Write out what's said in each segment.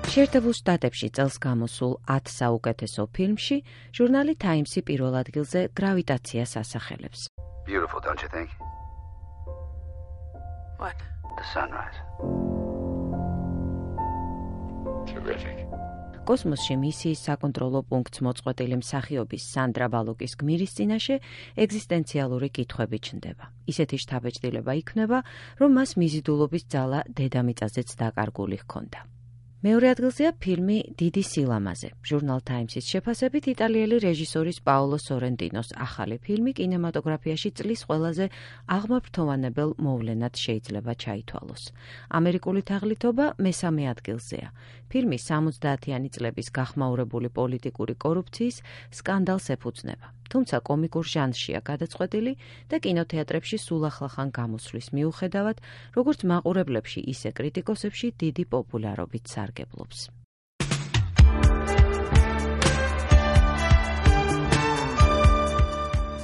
შეერთებულ შტატებში წელს გამოსულ 10 საუკეთესო ფილმში ჟურნალი Times-ი პირველ ადგილზე გრავიტაციას ასახელებს. Beautiful, don't you think? What? The sunrise. Terrific. კოსმოსში მისიის საკონტროლო პუნქტს მოწყვეტილი მსახიობის სანდრა ბალოკის გმირის წინაშე ეგზისტენციალური კითხვები ჩნდება. ისეთი შთაბეჭდილება იქნება, რომ მას მიზიდულობის ძალა დედამიწაზეც დაკარგული ჰქონდა. მეორე ადგილზეა ფილმი დიდი სილამაზე. ჟურნალ Times-ის შეფასებით იტალიელი რეჟისორის პაოლო სორენტინოს ახალი ფილმი კინემატოგრაფიაში წლის ყველაზე აღმაფრთოვანებელ მოვლენად შეიძლება ჩაითვალოს. ამერიკული თაღლითობა მესამე ადგილზეა. ფილმი 70-იანი წლების გახმაურებული პოლიტიკური კორუფციის სკანდალს ეფუძნება. თუმცა კომიკურ ჟანრშია გადაწყვეტილი და კინოთეატრებში სულ ახლახან გამოსვლის მიუხედავად, როგორც მაყურებლებში, ისე კრიტიკოსებში დიდი პოპულარობით სარგებლობს.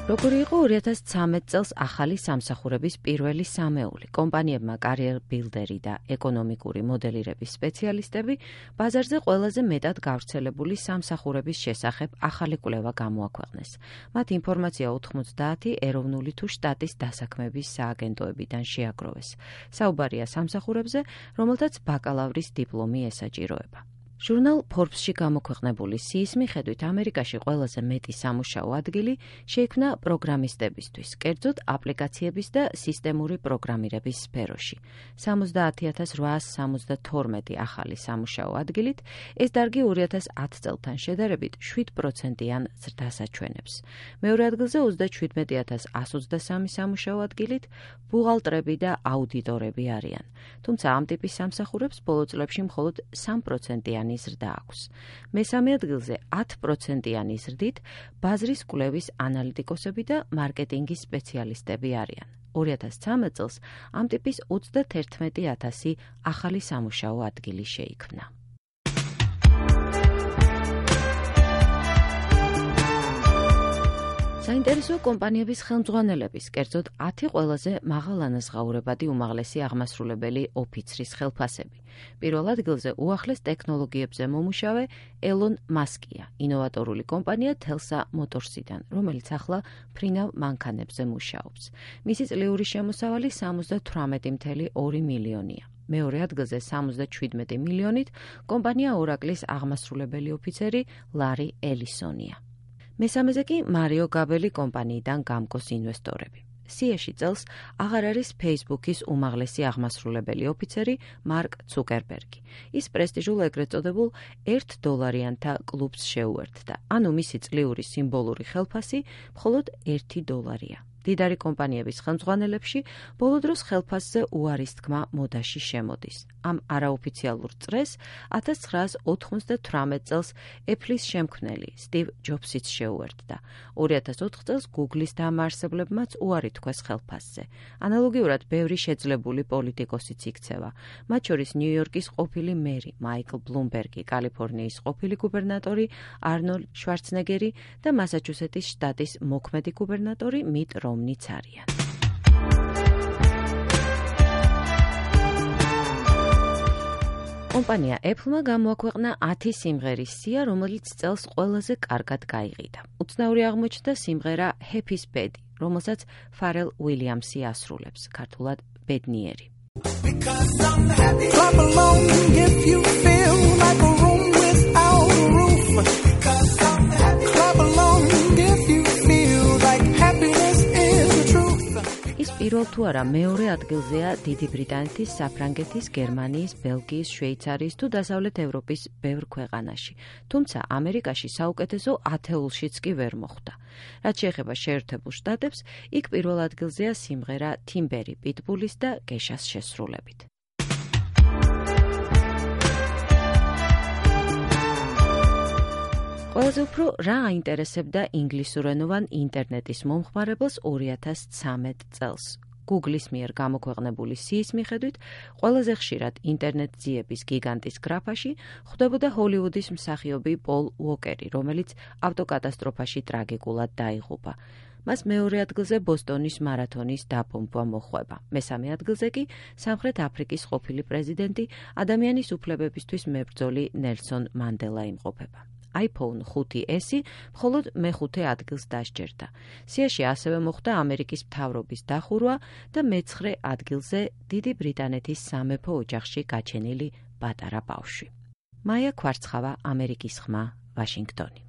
როგორი იყო 2013 წელს ახალი სამსახურების პირველი სამეული, კომპანიებმა კარიერ ბილდერი და ეკონომიკური მოდელირების სპეციალისტები ბაზარზე ყველაზე მეტად გავრცელებული სამსახურების შესახებ ახალი კვლევა გამოაქვეყნეს. მათ ინფორმაცია 90 ეროვნული თუ შტატის დასაქმების სააგენტოებიდან შეაგროვეს. საუბარია სამსახურებზე, რომელთაც ბაკალავრის დიპლომი ესაჭიროება. ჟურნალ Forbes-ში გამოქვეყნებული სიის მიხედვით ამერიკაში ყველაზე მეტი სამუშაო ადგილი შეიქმნა პროგრამისტებისთვის, კერძოდ აპლიკაციების და სისტემური პროგრამირების სფეროში. 70,872 ახალი სამუშაო ადგილით, ეს დარგი 2010 წელთან შედარებით 7%-იან ზრდას აჩვენებს. მეორე ადგილზე 37,123 სამუშაო ადგილით ბუღალტრები და აუდიტორები არიან. თუმცა ამ ტიპის სამსახურებს ბოლო წლებში მხოლოდ 3%-იანი ზრდა აქვს. მესამე ადგილზე 10%-იანი ზრდით ბაზრის კვლევის ანალიტიკოსები და მარკეტინგის სპეციალისტები არიან. 2013 წელს ამ ტიპის 31,000 ახალი სამუშაო ადგილი შეიქმნა. საინტერესო კომპანიების ხელმძღვანელების, კერძოდ 10 ყველაზე მაღალანაზღაურებადი უმაღლესი აღმასრულებელი ოფიცრის ხელფასები. პირველ ადგილზე უახლეს ტექნოლოგიებზე მომუშავე ელონ მასკია, ინოვატორული კომპანია Tesla Motorsიდან, რომელიც ახლა ფრინავ მანქანებზე მუშაობს. მისი წლიური შემოსავალი 78,2 მილიონია. მეორე ადგილზე 77 მილიონით კომპანია Oracle-ის აღმასრულებელი ოფიცერი ლარი ელისონია. მესამეზე კი მარიო გაბელი კომპანიიდან გამკოს ინვესტორები. სიაში წელს აღარ არის Facebook-ის უმაღლესი აღმასრულებელი ოფიცერი მარკ ცუკერბერგი. ის პრესტიჟულ ეგრეთ წოდებულ $1 კლუბს შეუერთდა, ანუ მისი წლიური სიმბოლური ხელფასი მხოლოდ $1. დიდარი კომპანიების ხელმძღვანელებში ბოლო დროს ხელფასზე უარის თქმა მოდაში შემოდის. ამ არაოფიციალურ წრეს 1998 წელს Apple-ის შემქმნელი სტივ ჯობსიც შეუერთდა. 2004 წელს Google-ის დამაარსებლებმაც უარი თქვეს ხელფასზე. ანალოგიურად ბევრი შეძლებული პოლიტიკოსიც იქცევა. მათ შორის ნიუ-იორკის ყოფილი მერი მაიკლ ბლუმბერგი, კალიფორნიის ყოფილი გუბერნატორი არნოლდ შვარცნეგერი და მასაჩუსეტის შტატის მოქმედი გუბერნატორი მიტ რომნიც არიან. კომპანია Apple-მა გამოაქვეყნა 10 სიმღერის სია, რომელიც წელს ყველაზე კარგად გაიყიდა. უცნაური აღმოჩნდა სიმღერა Happy's Bed, რომელსაც Pharrell Williams-ი ასრულებს, ქართულად ბედნიერი. Clap along if you feel like a room without a roof. Clap along if you feel like happiness is the truth. ის პირველ თუ არა მეორე ადგილზეა დიდი ბრიტანეთის, საფრანგეთის, გერმანიის, ბელგიის, შვეიცარიის თუ დასავლეთ ევროპის ბევრ ქვეყანაში. თუმცა ამერიკაში საუკეთესო 10-ულშიც კი ვერ მოხვდა. რაც შეეხება შეერთებულ შტატებს, იქ პირველ ადგილზეა სიმღერა Timber-ი Pitbull-ის და Kesha-ს შესრულებით. ყველაზე უფრო რა აინტერესებდა ინგლისურენოვან ინტერნეტის მომხმარებელს 2013 წელს. Google-ის მიერ გამოქვეყნებული სიის მიხედვით, ყველაზე ხშირად ინტერნეტ ძიების გიგანტის გრაფაში ხვდებოდა ჰოლივუდის მსახიობი პოლ უოკერი, რომელიც ავტოკატასტროფაში ტრაგიკულად დაიღუპა. მას მეორე ადგილზე ბოსტონის მარათონის დაპომპვა მოხვება. მესამე ადგილზე კი სამხრეთ აფრიკის ყოფილი პრეზიდენტი, ადამიანის უფლებებისთვის მებრძოლი ნელსონ მანდელა იმყოფება. iPhone 5S მხოლოდ მეხუთე ადგილს დასჯერდა. სიაში ასევე მოხდა ამერიკის მთავრობის დახურვა და მეცხრე ადგილზე დიდი ბრიტანეთის სამეფო ოჯახში გაჩენილი პატარა ბავშვი. მაია ქვარცხავა, ამერიკის ხმა, ვაშინგტონი.